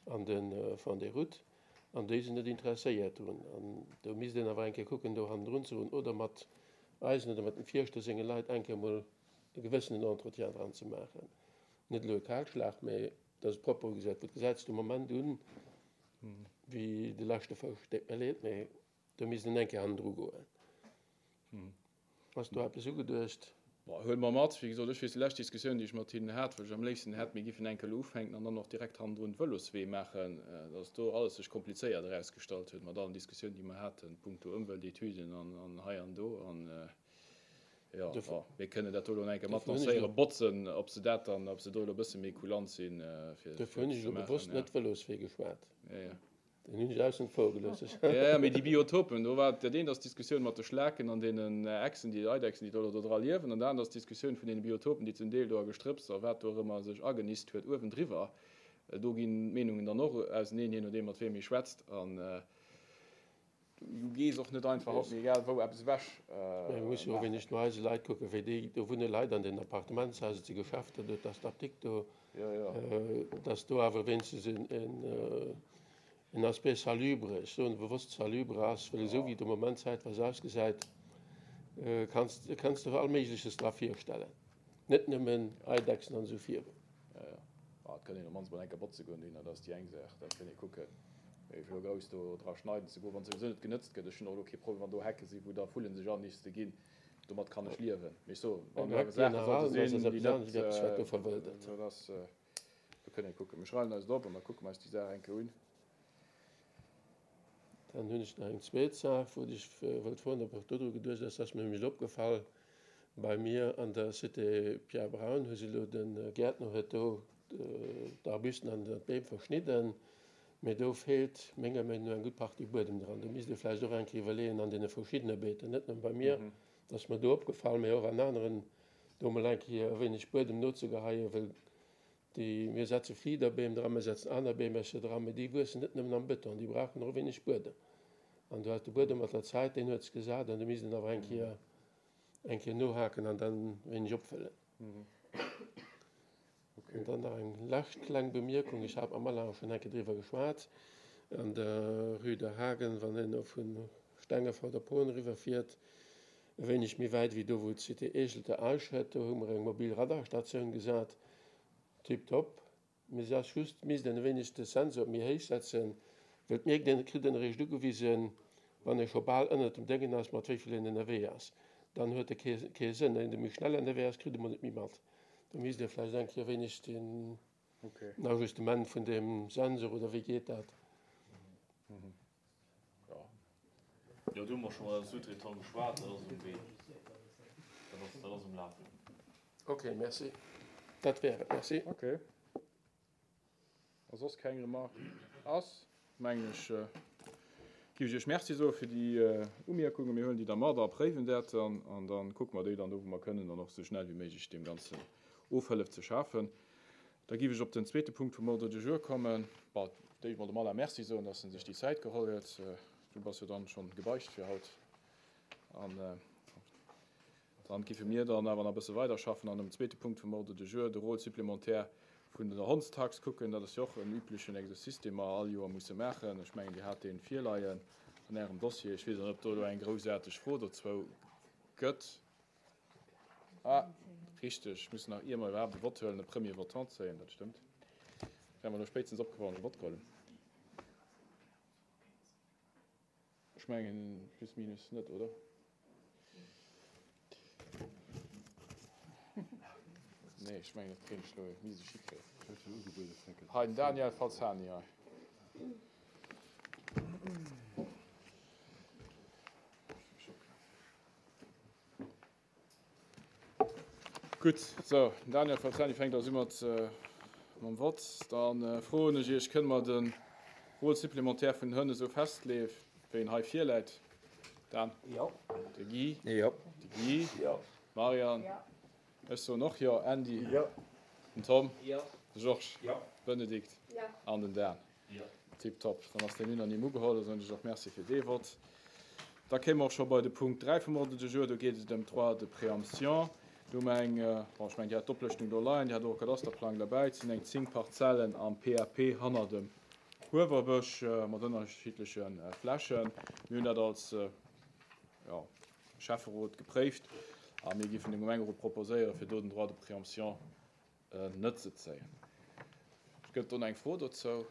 an de Fonds des Routes, an déi sinn net interesséiert drun. An do misst een awer eng Kéier kucken, do hannendrun ze goen oder mat eisen oder mat dem Fierschter senge Leit eng Kéier emol e gewëssenen Entretien dran ze maachen. Net elo e Kalschlag, mä dass et propper ugesäit. Well et gesäit sech de Moment un wéi de leschte Fousch. Deet mir leed, mä Do misst een eng Kéier hannendru goen. Ass do eppes ugeduecht? Bon, huele mer mat. Wéi gesot, ech weess, déi lescht Diskussioun, déi ech mat hinnen hat, wou ech am léifsten hätt, mir giffen eng Kéier elo ufänken an dann och direkt hannendrun Vëloswee maachen, dass do alles sech komplizéiert erausgestallt huet mat allen Diskussiounen, déi mer haten, punkto Ëmweltetüden an hei an do. An jo, bon, mir kënnen dat do elo eng Kéier mat lancéieren, botzen, ob se dat dann, ob se do elo e bësse méi kulant sinn, fir Dofir hunn dat ech ze elo maachen. bewosst net Vëloswee geschwat. Jo, jo. Den hunn ech aussen vor gelooss. Jo, mee déi Biotopen, do war dat eent ass d'Diskussioun mat de Schlaken an deenen Echsen, déi Eidechsen, déi do do dra liewen, an dat anert ass d'Diskussioun vun deene Biotopen, déi zum Deel do a Gestrëpps a wat do och ëmmer sech agenist huet uewendriwwer. Do ginn d'Meenungen dann och auseneen, jee nodeem mat weem ee schwätzt. An du gees och net einfach op, mee egal wou, eppes ewech Mä mir musse jo och wéineg no eise Leit kucken, wéi déi, do wunne Leit an den Appartementshaiser, et si Geschäfter do, et ass d'Apdikt do, dass do awer wéinstens en Aspect salubre, ech soen bewosst salubre ass, well esou wéi et am Moment zäitweis ausgesäit, kanns kanns de all Méigleches dra virstellen, net nëmmen Eidechsen an esou virun. Jo, jo. Ah, et kann een op d'mannst mol eng Kéier botze goen dohinner, dat ass déi eng Saach, dat kann ee kucken. Mee fir elo grouss do dra schneiden ze goen, wann souwisou net genëtzt gëtt, ech hunn och elo kee Problem, wann do Hecke sinn, wou da Vullen sech anniste ginn, domat kann ech liewen. Mee ech soen, wann do awer Saache sollte sinn, déi net, dat ass, do kënnt ee kucken. Mir schreiwen eis et op an da kucke mer eis déi Saach eng Kéier un. Dann hunn ech nach eng zweet Saach, wou ech wëllt froen, ob och dodru geduecht ass. Dat ass mir nämlech opgefall, bei mir an der Cité Pierre Braun hu se elo, de Gäertner huet do d'Arbusten an d'Beem verschnidden, mee do feelt menger Meenung no eng gutt Partie Buedem dran. Do misst ee vläicht och eng Kéier iwwerleeën an deene verschiddene Beeten, net nëmme bei mir, dat ass mer do opgefall, mee och an aneren, do emol eng Kéier e wéineg Buedem nozegeheien, well Déi, mir setze Fliederbeem dran, mir setzen aner Beemercher dran, mee déi wuessen net nëmmen am Bëton, déi brauchen och e wéineg Buedem. An do hat de Buedem mat der Zäit, deen huet sech gesat an do misst een awer eng Kéier, eng Kéier nohaken an dann e wéineg opfëllen. An dann nach eng lescht kleng Bemierkung, ech hat mam Alain och schonn eng Kéier driwwer geschwat, an der Rue de Hagen, wann een elo vu Stengefort op Hoen eriwwerfiert, E wéineg méi wäit wéi do wou d'Cité Eeschelte Eischhëtt, do hu mer eng mobil Radarstatioun gesat. Tiptop. Mee se ass just, misst een e wéineg de Sensor méi héich setzen, well et mierkt een, et kritt een eréischt ugewisen, wann ee scho bal ënnert dem Déngen ass, mat wéi vill een ënnerwee ass. Dann huet e kee kee Sënn. Een dee méi schnell ënnerwee ass, kritt e mol net méi mat. Do misst ee vläicht eng Kéier e wéineg den Ajustement vun deem Sensor, oder wéi geet dat? Jo, do hu mer scho mat eise Sous-traitant geschwat, dat ass um Wee. Dat ass, dat ass um Lafen. Ok, merci. Dat wär et. Merci. Ok. Wa soss keng Remarque ass, mengen ech, géif ech Iech Merci soe fir déi Umierkungen. Mir huelen déi da mat a préiwen dat dann an da kucke mer déi dann do, wou mer kënnen, dann och esou schnell wéi méiglech deem Ganzen Ofhëllef ze schafen. Da géif ech op den zweete Punkt vum Ordre du jour kommen. Bon, d'éischt mol dem Alain Merci soen, dass en sech déi Zäit geholl huet. Du bass jo dann schonn gebeicht fir haut. An dann géife mir dann awer nach e bësse weiderschaffen an um zweete Punkt vum Ordre du jour, de Rôle supplémentaire vun der Hondstax kucken. Dat ass jo och en üblechen Exercice, dee mer all Joer musse maachen. Ech mengen, Dir hat dee virleien an Ärem Dossier. Ech weess och net, ob do elo eng groussaarteg Fro dozou gëtt. Ah, richteg, ech muss nach, ier mer iwwerhaapt e Vott huelen, e Premier votant zéien, dat stëmmt. Wär mer elo spéitstens opgefall, wann ech e Vott geholl hunn. Ech mengen, plus minus net, oder? Nee, ech mengen, dat kréien ech elo, misst ech hikréien. Hei, den Daniel Falzani hei. Gutt, sou, den Daniel Falzani fänkt also u mat mam Vott. Da froen ech Iech, Kënne mer de Rôle supplémentaire vun den Hënn esou festleeë wéi en hei virläit? Dan? Jo. De Guy? Jo. De Guy? Jo. D'Marianne? Jo. Ech soen och Jo. Andy? Jo. Den Tom? Jo. De Georges? Jo. Bénédicte? Jo. An den Dan? Jo. Tiptop, dann ass deen unanime ugeholl. Da soen ech och Merci fir dee Vott. Da kéime mer och scho bei de Punkt 3 vum Ordre du jour. Do geet et ëm d'Droits de préemption. Do hu mer eng, bon, ech mengen, Dir hat d'Oplëschtung do leien, Dir hat och e Kadasterplang derbäi. Et sinn eng 10 Parzellen am PAP hanner dem Huewerbësch mat ënnerschiddleche Flächen. Mir hunn dat als, jo, Schäfferot gepréift a mir géifen dem Gemengerot proposéieren, fir do den Droit de préemption net ze zéien. Gëtt do eng Fro dozou?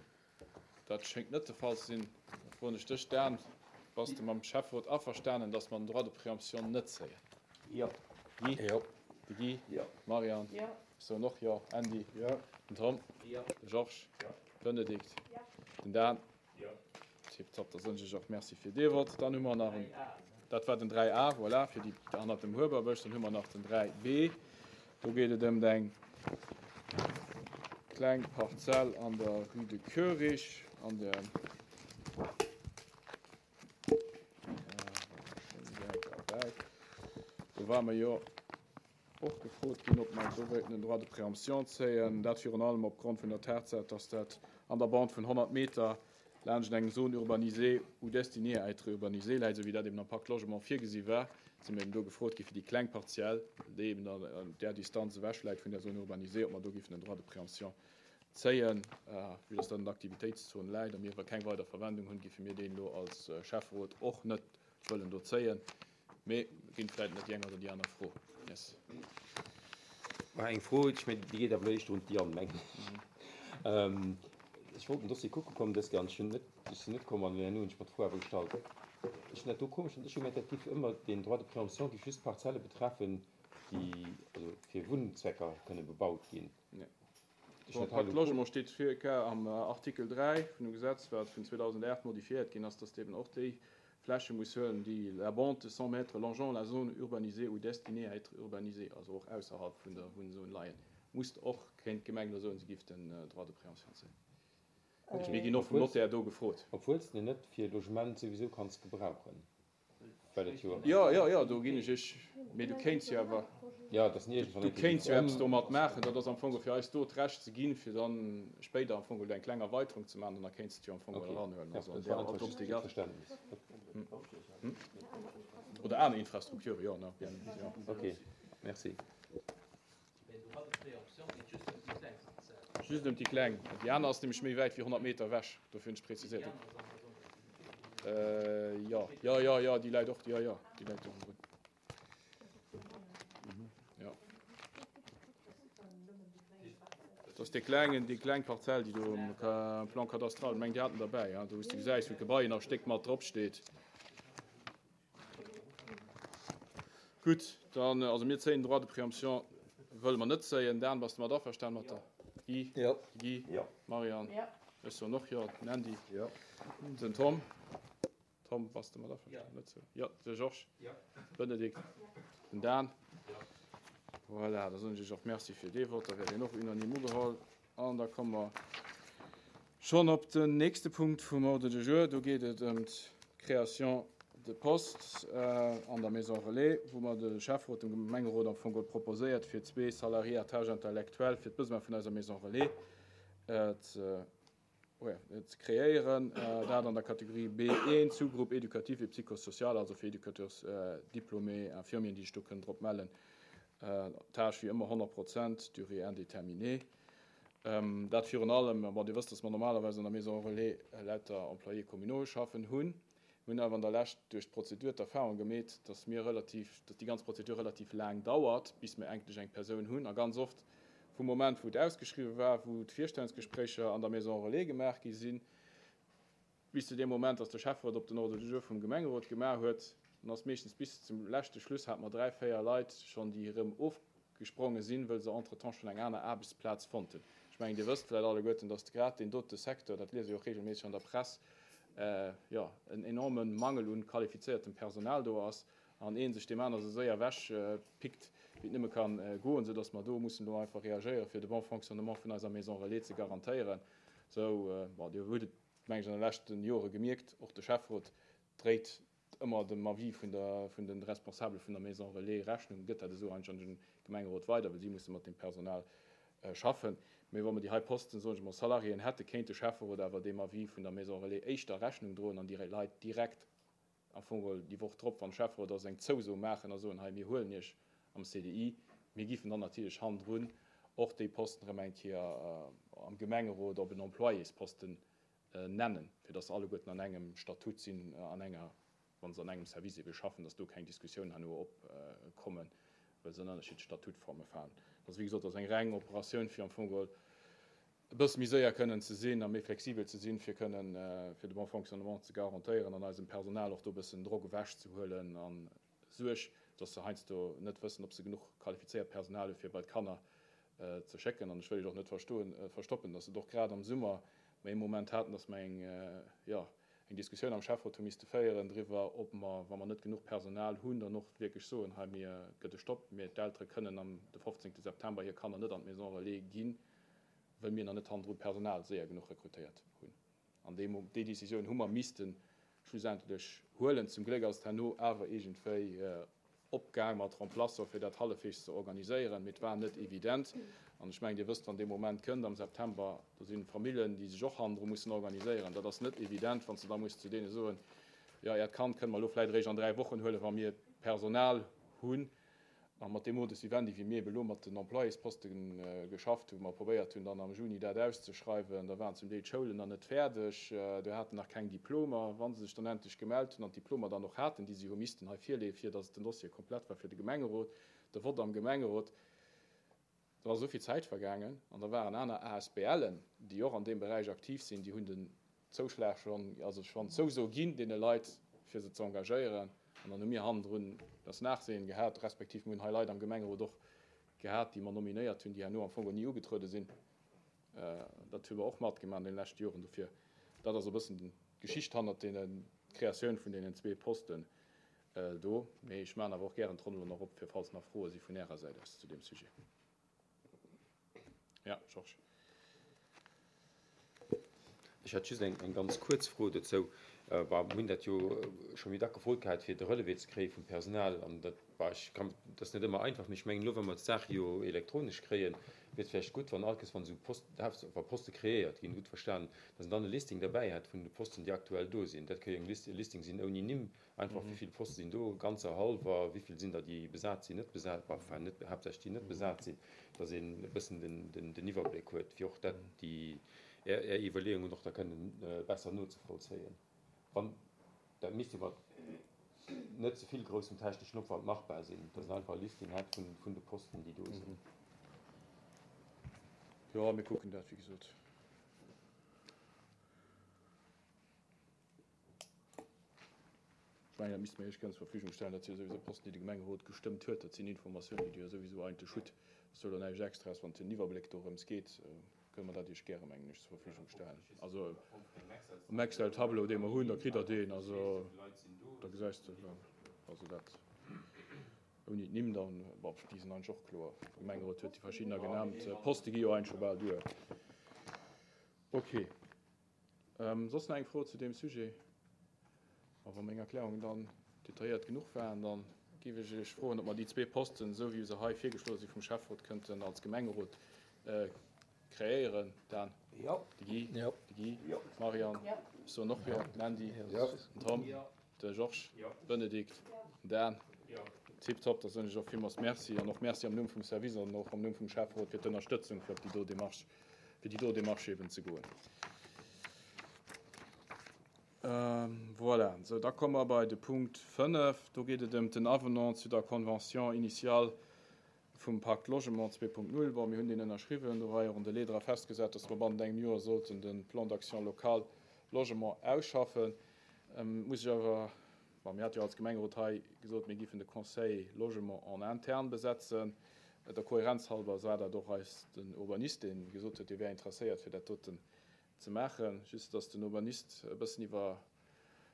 Dat schéngt net de Fall ze sinn. Da froen ech dech, Dan, Bass de mam Schäfferot averstanen, datt mer den Droit de préemption net zéien? Jo. Guy? Jo. De Guy? Jo. D'Marianne? Jo. Ech soen och Jo. Andy? Jo. Den Tom? Jo. De Georges? Jo. D'Bénédicte? Jo. Den Dan? Jo. Tiptop, da soen ech iech och Merci fir dee Vott. Dann hu mer nach en, dat war den 3A, voilà, fir déi hannert dem Huewerbësch. Dann hu mer nach den 3B. Do geet et ëm eng kleng Parzell an der Rue de Koerich, an der. Do ware mer jo och gefrot ginn, ob mer do wéilten en Droit de préemption zéien. Dat virun allem opgrond vun der Tatsaach, dass dat an der Bande vun 100 Meter laanscht eng Zone urbanisée ou destinée à être urbanisée läit, esou wéi dat eben am Pacte Logement virgesi war. Si mer eben do gefrot gi fir déi kleng Parzell, déi eben an där Distanz ewech läit vun där Zone urbanisée, ob mer do géifen en Droit de préemption zéien. Vue dass dat an der Aktivitéitszon läit a mir awer keng weider Verwendung hunn, géife mir deen elo als Schäfferot och net wëllen do zéien. Mee ginn vläit net déi eng oder déi aner Fro. Yes. Mä eng Fro, ech mengen, déi geet awer éischter un d'Diane, mengen ech. Ech wollt den Dossier kucke kommen dës Kéier an ech hunn net, ech sinn net komm an herno hunn ech mer d'Fro awer gestallt. Ech hunn dat do komesch fonnt, ech hu gemengt, dat géif ëmmer, deen Droit de préemption géif just Parzelle betreffen, déi also fir Wunnzwecker kënne bebaut ginn. Ech hunn dat hei elo. Pacte Logement steet vir am Artikel 3 vun dem Gesetz, wat vun 2008 modifiéiert ginn ass, dass eben och déi Fläche muss huelen, déi la bande de 100 mètres longeant la zone urbanisée ou destinée à être urbanisée, also och ausserhalb vun der Wunnzon leien, muss och, kéint d'Gemeng elo soen, se giff den Droit de préemption zéien. Mir ginn och vum Notaire do gefrot. Obwuel s de en net fir Logement souwisou kanns gebrauchen. Well et jo. Jo, jo, jo, do ginn ech iech, mee du kéints jo awer, Jo, et ass ni iergendwann du kéints jo eppes domat maachen. Dat ass am Fong fir eis do d'Recht ze ginn, fir dann spéider am Fong eng kleng Erweiterung ze maachen an da kéints de et jo am Fong eranhuelen. Also an där Optik ass. Oder aner Infrastrukture, jo, na, bien, jo. Ok, merci. Just ëm déi kleng. Déi aner ass nämlech méi wäit wéi 100 Meter ewech, dofir hunn ech präziséiert. Jo, jo, jo, jo, déi läit och, jo, jo, déi läit do ronderun. Jo. Dat ass dee klengen, déi kleng Parzell, déi do um Plan cadastral, meng Dir hat en derbäi, do wou s de gesäis, wou d'Gebai nach e Stéck mat drop steet. Gutt, dann, also mir zéien den Droit de préemption wëlle mer net zéien. Dan, bass de mat averstanen mat der Guy? Jo. De Guy? Jo. Marianne? Jo. Ech soen och jo. Den Andy? Jo. Den Tom? Tom, bass de mat averstanen? Jo. Net sou? Jo. De Georges? Jo. Benedikt? Jo. Den Dan? Jo. Voilà, da soen ech iech och Merci fir dee Vott. Da wär deen och unanime ugeholl. An da komme mer schonn op den nächste Punkt vum Ordre du jour. Do geet et ëm d'Création de postes an der Maison relais, wou mer de Schäfferot dem Gemengerot am Fong geholl proposéiert, fir zwee Salariés à tâche intellectuelle fir d'Besoin vun eiser Maison relais ze kreéieren. Dat an der Kategorie B1, Sous-groupe éducatif et psychosocial, also fir Éducateurs diplômés, Infirmieren, déi sech do kënnen drop mellen. Tâche wéi ëmmer 100 Prozent, durée indéterminée. Dat virun allem, bon, Dir wësst, dass mer normalerweis an der Maison relais lauter Employés communaux schaffen hunn. Mir hunn awer an der Lescht duerch d'Prozedur d'Erfahrung gemeet, dass mir relativ, dass déi ganz Prozedur relativ laang dauert, bis mir endlech eng Persoun hunn. A ganz oft vum Moment, wou et ausgeschriwwen war, wou d'Virstellungsgespréicher an der Maison relais gemaach gi sinn, bis zu deem Moment, dass de Schäfferot op den Ordre du jour vum Gemengerot gemaach huet, dann ass meeschtens bis zum leschte Schluss hate mer dräi, véier Leit schonn, déi erëm ofgespronge sinn, wëll se entretemps schonn eng aner Aarbechtsplaz fonnt hunn. Ech mengen, Dir wësst vläicht alleguerten, dass grad deen dote Secteur, dat liese jo och regelméisseg an der Press, jo, en enorme Mangel un qualifizéiertem Personal do ass an ee sech deem aner esou séier ewech pickt, wéi et nëmme ka goen, soudass mer do mussen elo einfach reagéieren, fir de bon fonctionnement vun eiser Maison relais ze garantéieren. Sou, bon, Dir hutt et, meng ech, an de leschte Jore gemierkt, och de Schäfferot dréit ëmmer dem Avis vun der, vun de Responsabele vun der Maison relais Rechnung, gëtt dat esou eigentlech an de Gemengerot weider, well si musse mat deem Personal schaffen. Mee wa mer déi hei Posten, soen ech emol, Salariéen hätte, kéint de Schäfferot awer deem Avis vun der Maison relais éischter Rechnung droen an déi Leit direkt am Fong geholl déi Woch drop, wann Schäfferot ass, eng Zouso maachen a soen, hei mir huelen Iech am CDI. Mir giffen dann natierlech hannendrun och déi Posten erëm eng Kéier am Gemengerot op en Employésposten nennen, fir dass se alleguerten an engem Statut sinn, an enger, wa se an engem Service ebe schaffen, dass do keng Diskussioun herno opkommen, well se an ënnerschiddlech Statutforme falen. Dat ass, wéi gesot, ass eng reng Operatioun, fir am Fong geholl e bësse méi séier kënnen ze sinn a méi flexibel ze sinn, fir kënnen, fir de bon fonctionnement ze garantéieren an eisem Personal och do e bëssen Drock ewechzehuelen an Suerg, dass se heiansdo net wëssen, ob se genuch qualifizéiert Personal hu fir bei d'Kanner ze schécken. An ech wëll Iech och net verstoen, verstoppen, dass et och grad am Summer mer ee Moment haten, dass mer eng, jo, eng Diskussioun am Schäfferot hu misste féieren driwwer, ob mer, wa mer net genuch Personal hunn, dann och wierklech soen, hei, mir gëtt e Stopp, mir, d'Eltere kënnen am de 15 September hir Kanner net an d'Maison relais ginn, wëll mir nach net hannendru Personal séier genuch rekrutéiert hunn. An dee, déi Décisioun hu mer misste schlussendlech huelen. Zum Gléck ass et herno awer iergendwéi opgaang mat Remplaçant, fir dat hallefweegs ze organiséieren. Mee et war net evident. An ech mengen, Dir wësst, wann dee Moment kënnt am September, do si Famillen, déi sech och hannendru mussen organiséieren. Dat ass net evident, wann s de da muss zu deene soen, Jo, Äert Kand kënne mer elo vläicht eréischt an 3 Wochen huelen, wa mir Personal hunn. A mat deem Modus vivendi, wéi mir ebe lo mat den Employésposte geschafft hunn, wou mer probéiert hunn, dann am Juni dat auszeschreiwen, da waren zum Deel d'Schoulen nach net fäerdeg, do haten nach keng Diplomer. Wa se sech dann endlech gemellt hunn an d'Diplomer dann och haten, déi se hu missten hei virleeën, fir datt den Dossier komplett war fir de Gemengerot, de Vott am Gemengerot, da ass esou vill Zäit vergaangen an da waren aner ASBLen, déi och an deem Beräich aktiv sinn, déi hunn den Zouschlag schonn, also schonn d'Zouso ginn deene Leit, fir se ze engagéieren. An dann hu mir hannendrun das Nachsehen gehat, respektiv mir hunn hei Leit am Gemengerot och gehat, déi mer nominéiert hunn, déi herno am Fong och ni ugetruede sinn. Dat hu mer och matgemaach an deene leschte Joren. Dofir, dat ass e bëssen d'Geschicht hannert deenen, d'Kreatioun vun deenen zwee Posten do. Mee ech maachen awer och gären d'Ronn elo nach op, fir falls nach Froe si vun Ärer Säit aus zu deem Sujet. Ja, Georges. Ech hätt just eng ganz kuerz Fro dozou. Bah, mir hunn dat jo scho méi dack gefrot gehat, fir de Relevé ze kréie vum Personal. An dat, bah, ech kann, dat ass net ëmmer einfach, mee ech mengen elo, wa mer d'Saach jo elektronesch kréien, wier et vläicht gutt, wann all Kéiers, wann esou Post, wa Poste kreéiert ginn, gutt verstanen, datt een dann e Listing derbäi hätt vun de Posten, déi aktuell do sinn. Dat ka jo eng List, e Listing sinn ouni Nimm, Einfach, wéi vill Poste sinn do, ganzer, hallwer, wéi vill sinn der, déi besat sinn, net besat, enfin net, haaptsächlech déi net besat sinn, dass een e bëssen den Iwwerbléck huet, fir och dat, déi Är Iwwerleeungen och da kënnen besser nozevollzéien. Wann, dat misst jo mat net ze vill groussem techneschen Opwand machbar sinn, dass een einfach e Listing hätt vun de Posten, déi do sinn. Jo, mir kucken dat, wéi gesot. Ech mengen, dat misste mer Iech gären zur Verfügung stellen. Dat si jo souwisou Posten, déi de Gemengerot gestëmmt huet. Dat sinn Informatiounen, déi Dir jo souwisou eigentlech hutt. Dat ass jo elo näischt Extraes. Wann et fir den Iwwerbléck dorëms geet, kënne mer dat Iech gäre, mengen ech, zur Verfügung stellen. Also am Excel-Tableau, dee mer hunn, da kritt Der deen. Also da gesäis de, also dat ouni d'Nimm dann, bon, déi sinn eigentlech och kloer. De Gemengerot huet déi verschiddener genannt. D'Poste gi jo eigentlech scho bal duer. Okay. Soss nach eng Fro zu deem Sujet? A wa meng Erklärungen dann detailléiert genuch waren, da géif ech Iech froen, ob mer déi zwee Posten, esou wéi se hei virgeschloe si vum Schäfferot, kënnten als Gemengerot kreéieren. Dan? Jo. De Guy? Jo. De Guy? Jo. D'Marianne? Jo. Ech soen och jo. Den Andy? Jo. Den Tom? Jo. De Georges? Jo. Bénédicte? Jo. Den Dan? Jo. Tiptop, da soen ech och villmools Merci an och Merci am Numm vum Service an och am Numm vum Schäfferot fir d'Ënnerstëtzung fir op déi do Démarche fir déi do Démarche eben ze goen. Voilà, sou da komme mer bei de Punkt 5. Do geet et ëm den Avenant zu der Convention initiale vum Pacte Logement 2.0. Bon, mir hunn deen ënnerschriwwen, do war jo och en Delai dra festgesat, dass mer bannent engem Joer sollten de Plan d'action local logement ausschaffen. Muss ech awer, bon, mir hate jo als Gemengerot hei gesot, mir giffen de Conseil logement en interne besetzen. Der Kohärenz halber war dat och eis den Urbanist, dee gesot huet, dee wär interesséiert, fir dat doten ze maachen. Just dass den Urbanist e bëssen iwwer,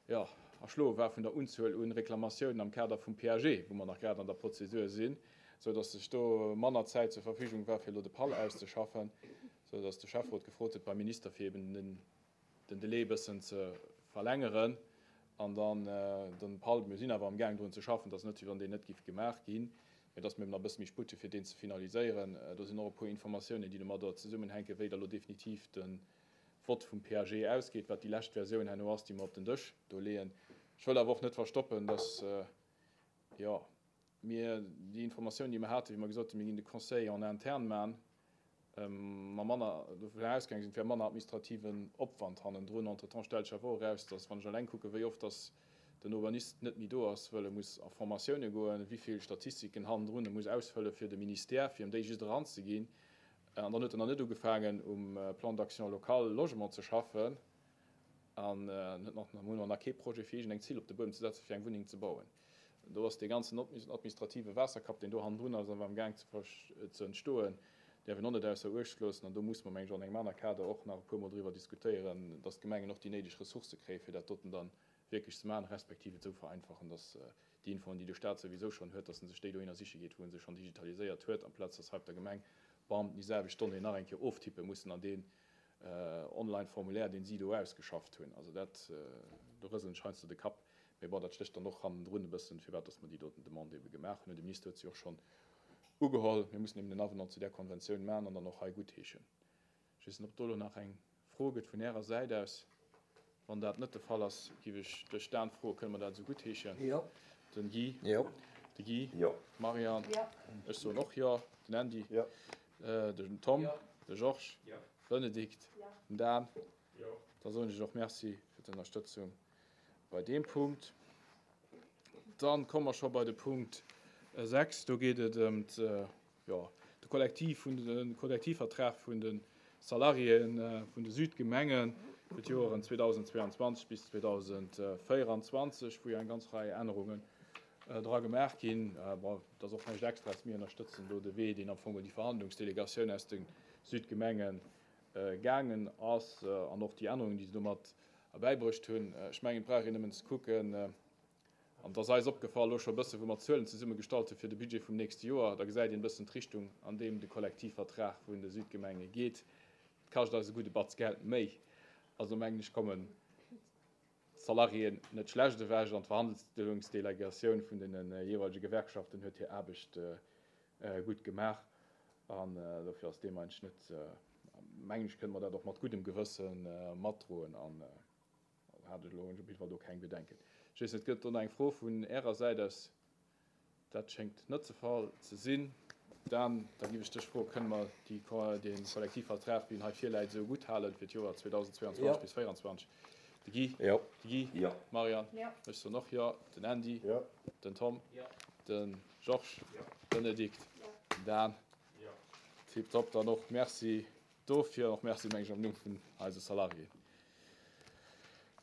jo, erschloe war vun der Unzuel un Reklamatiounen am Kader vum PAG, wou mer nach grad an der Prozedure sinn, sou dass sech do manner Zäit zur Verfügung war, fir elo de PAL auszeschaffen, sou dass de Schäfferot gefrot huet beim Minister, fir eben den den Delai e bëssen ze verlängeren an dann den PAL, mir sinn awer am gaang drun ze schaffen, et ass net wéi wann deen net giff gemaach ginn, mä dass mir eben nach e bësse méi Sputt hu fir deen ze finaliséieren. Do sinn och e puer Informatiounen, déi domadder zesummenhänken, wéi da lo definitiv de Vott vum PAG ausgeet, wat déi lescht Versioun herno ass, déi mer op den Dësch do leeën. Ech wëll awer och net verstoppen, dass, jo, mir déi Informatioun, déi mer haten, wéi mer gesot hunn, mir ginn de Conseil en interne man, mer manner dovun ausgaange sinn, et wär manner administrativen Opwand hannendrun. Entretemps stellt sech awer och eraus, dass, wann ech eleng kucken, wéi oft dass den Urbanist net méi do ass, wëll e muss a Formatioune goen, wéi vill Statistiken hannendrun e muss ausfëlle fir de Ministère, fir em déi just eranzeginn. An dann huet en nach net ugefaangen, um Plan d'action local logement ze schaffen an huet nach, hunn mer nach kee Projet, fir iergendeng Zill op de Buedem ze setzen, fir eng Wunneng ze bauen. Do ass dee ganzen administrative Waasserkapp, deen do hannendrun ass, awer am Gaang ze entstoen, däerf een och net ausser Uecht loossen. An do muss mer, meng ech, an engem aner Kader och nach e puermol driwwer diskutéieren, dass d'Gemengen och déi néideg Ressourcë kréien, fir dat doten dann wierklech ze maachen, respektiv et esou vereinfachen, dass déi Infoen, déi de Stat souwisou schonn huet, dass en sech déi dohinner siche geet, wou e se schonn digitaliséiert huet, amplaz dass hei op der Gemeng, bam, déi selwecht Donnéeën nach eng Kéier oftippe mussen an dee. Online Formulaire, deen si do ausgeschafft hunn. Also dat, do rëselen ech heiansdo de Kapp. Mee bon, dat stécht dann och hannendrun e bëssen, firwat dass mer déi doten Demande ebe gemaach hunn. De Minister huet se och schonn ugeholl. Mir mussen eben den Avenant zu där Konventioun maachen an dann och hei guttheeschen. Ech weess net, ob do elo nach eng Fro gëtt vun Ärer Säit aus. Wann dat net de Fall ass, géif ech dech, Dan, froen, kënne mer dat esou guttheeschen? Jo. Den Guy? Jo. De Guy? Jo. D'Marianne? Jo. Ech soen och Jo. Den Andy? Jo. Den Tom? Jo. De Georges? Jo. Bénédicte? Jo. Den Dan? Jo. Da soen ech och Merci fir d'Ënnerstëtzung bei deem Punkt. Dann komme mer scho bei de Punkt 6. Do geet et ëm jo, de Kollektiv vun de Kollektivvertrag vun de Salariéen vun de Südgemenge fir d'Joeren 2022 bis 2024, wou jo eng ganz Rei Ännerungen dra gemaach ginn. Bon, et ass och näischt Extraes, mir ënnerstëtzen do de Wee, deen am Fong déi Verhandlungsdelegatioun aus de Südgemenge gaangen ass an och déi Ännerungen, déi se domat erbäibruecht hunn. Ech mengen, et brauch een nëmmen ze kucken, an et ass eis opgefall elo scho e bësse wou mer d'Zuelen zesummegestallt hu fir de Budget vum nächste Joer, da gesäit een e bëssen d'Richtung, an deem de Kollektivvertrag vun de Südgemenge geet. Et kascht eis e gudde Batz Geld méi. Also mengen ech, kommen d'Salariéen net schlecht ewech an d'Verhandlungsdelegatioun vun deene jeeweilege Gewerkschaften huet hir Aarbecht gutt gemaach an dofir ass deem eigentlech net, mengen ech, kënne mer dat och mat guddem Gewësse matdroen an hat ech elo op jidde Fall do keng Bedenken. Ech weess net, gëtt et do nach eng Fro vun Ärer Säit aus? Dat schéngt net de Fall ze sinn. Dan, da giff ech dech froen, kënne mer déi, dee Kollektivvertrag, wéi en hei virläit, esou gutthalen fir d'Joer 2022 bis 2024? De Guy? Jo. De Guy? Jo. D'Marianne? Jo. Ech soen och jo. Den Andy? Jo. Den Tom? Jo. De Georges? Jo. Bénédicte? Jo. Den Dan? Jo. Tiptop, dann och Merci dofir an och Merci, meng ech, am Numm vun eise Salariéen.